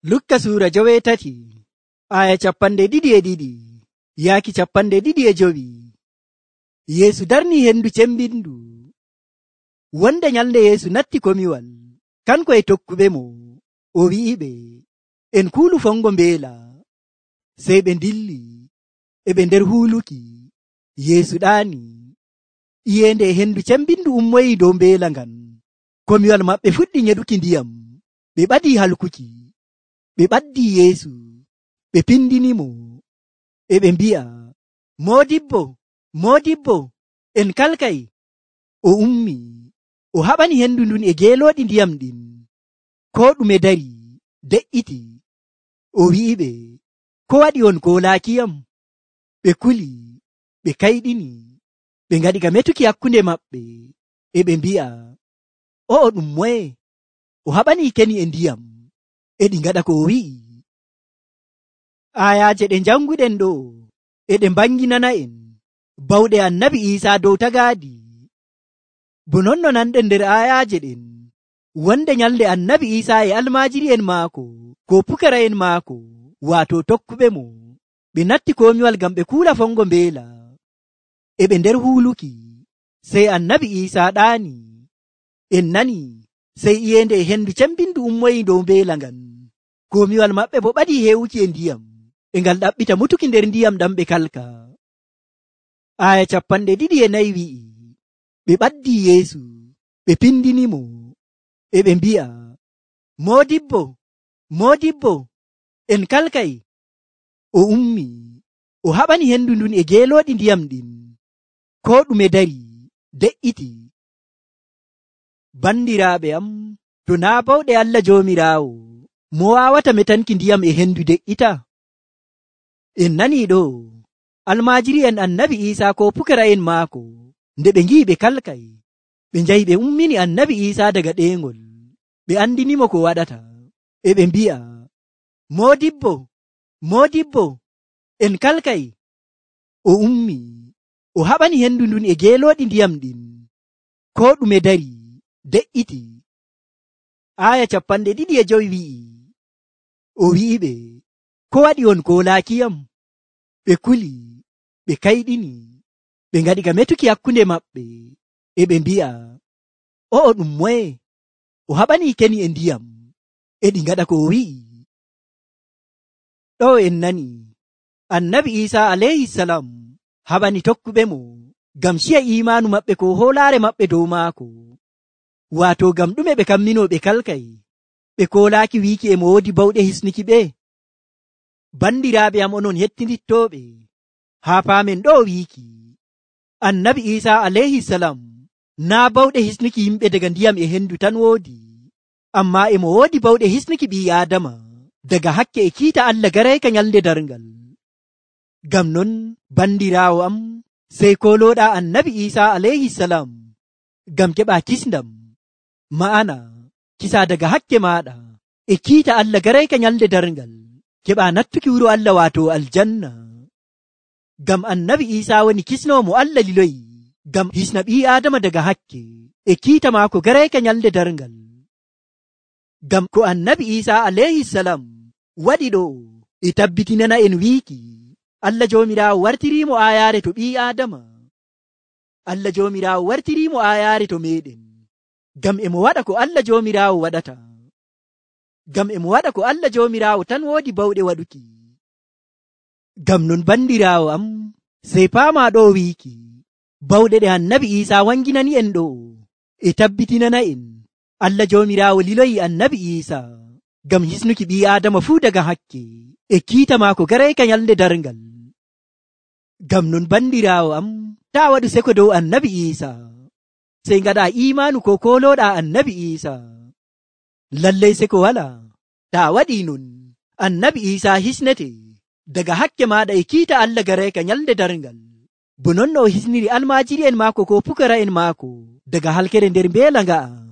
Lukka suura 8 aya 202 yaaki 205. Yeesu darni hendu cembindu. Wonde nyalnde Yeesu natti komiwal kanko e tokkuɓe mo, o wi'iɓe, en kuulu fongo mbeela. Sey ɓe dilli e ɓe nder huuluki. Yeesu ɗaani. Iyende e hendu cembindu ummoyi dow mbeela ngan. Komiwal maɓɓe fuɗɗi nyeɗuki ndiyam. Ɓe ɓadii halkuki. Ɓe ɓaddii Yeesu, ɓe pindinimo, e ɓe mbi'a, Moodibbo, Moodibbo, en kalkay. O ummi, o haɓani hendu ndun e geelooɗi ndiyam ɗin. Koo ɗume dari, de'iti. O wi'iɓe, ko waɗi on koolaakiyam? Ɓe kuli, ɓe kayɗini, ɓe ngaɗi ka metuki hakkunde maɓɓe, e ɓe mbi'a, o'o ɗum moye? O haɓanii keni e ndiyam. E ɗi ngaɗa ko o wi'i. Ayaaje ɗe janguɗen ɗo e ɗe mbanginana en bawɗe annabi Iisaa dow tagaadi. Bo non no nanɗen nder ayaaje ɗen, wonde nyalde annabi Iisaa e almaajiri'en maako ko pukara'en maako, waato tokkuɓe mo, ɓe natti komiwal ngam ɓe kuula fongo mbeela. E ɓe nder huuluki, sey annabi Iisaa ɗaani. En nani, sey iyende e hendu cembindu ummoyi dow mbeela ngan. Komiwal maɓɓe bo ɓadii heewuki e ndiyam, e ngal ɗaɓɓita mutuki nder ndiyam ɗam ɓe kalka. Aya 204 wi'i, ɓe ɓaddii Yeesu, ɓe pindinimo, e ɓe mbi'a, Moodibbo, Moodibbo, en kalkay. O ummi, o haɓani hendu ndun e geelooɗi ndiyam ɗin. Koo ɗume dari, de'iti. Bandiraaɓe am, to naa bawɗe Allah Joomiraawo, mo waawata metanki ndiyam e hendu de'ita? En nanii ɗo, almaajiri'en annabi Iisaa ko pukara'en maako, nde ɓe ngi'i ɓe kalkay, ɓe njahi ɓe ummini annabi Iisaa daga ɗeengol, ɓe andinimo ko waɗata, e ɓe mbi'a, Moodibbo, Moodibbo, en kalkay. O ummi, o haɓani hendu ndun e geelooɗi ndiyam ɗin. Koo ɗume dari, de'iti. Aya 25 wi'i, o wi'iɓe, ko waɗi on koolaakiyam? Ɓe kuli, ɓe kayɗini, ɓe ngaɗi ka metuki hakkunde maɓɓe, e ɓe mbi'a, o'o ɗum moye? O haɓanii keni e ndiyam, e ɗi ngaɗa ko o wi'i. Ɗo en nani, annabi Iisaa alayhisalam haɓani tokkuɓe mo ngam ciya imaanu maɓɓe ko hoolaare maɓɓe dow maako. Waato ngam ɗume ɓe kammino ɓe kalkay, ɓe koolaaki wiiki e mo woodi bawɗe hisnuki ɓe? Bandiraaɓe am onon hettinittooɓe, haa paamen ɗo wiiki, annabi Iisaa alayhisalam naa bawɗe hisnuki yimɓe daga ndiyam e hendu tan woodi, ammaa e mo woodi bawɗe hisnuki ɓii Aadama daga hakke e kiita Allah garayka nyalnde darngal. Ngam non, bandiraawo am, sey koolooɗaa annabi Iisaa alayhisalam ngam keɓaa kisndam, ma'ana kisa daga hakke maaɗa e kiita Allah garayka nyalnde darngal, keɓaa nattuki wuro Allah waato aljanna. Ngam annabi Iisaa woni kisnowo mo Allah liloyi ngam hisna ɓii Aadama daga hakke e kiita maako garayka nyalnde darngal. Ngam ko annabi Iisaa alayhisalam waɗi ɗo e tabbitinana en wiiki, Allah Joomiraawo wartiriimo aayaare to ɓii Aadama. Allah Joomiraawo wartiriimo aayaare to meeɗen, ngam emo waɗa ko Allah Joomiraawo waɗata. Ngam emo waɗa ko Allah Joomiraawo tan woodi bawɗe waɗuki. Ngam non bandiraawo am, sey paamaa ɗo wiiki, bawɗe ɗe annabi Iisaa wanginani en ɗo e tabbitinana en Allah Joomiraawo liloyi annabi Iisaa ngam hisnuki ɓii Aadama fuu daga hakke e kiita maako garayka nyalnde darngal. Ngam non bandiraawo am, taa waɗu seko dow annabi Iisaa, sey ngaɗaa imaanu ko koolooɗaa annabi Iisaa. Lallay seko walaa. Taa waɗii non, annabi Iisaa hisnete daga hakke maaɗa e kiita Allah garayka nyalnde darngal, bo non no o hisniri almaajiri'en maako ko pukara'en maako daga halkere nder mbeela nga'a.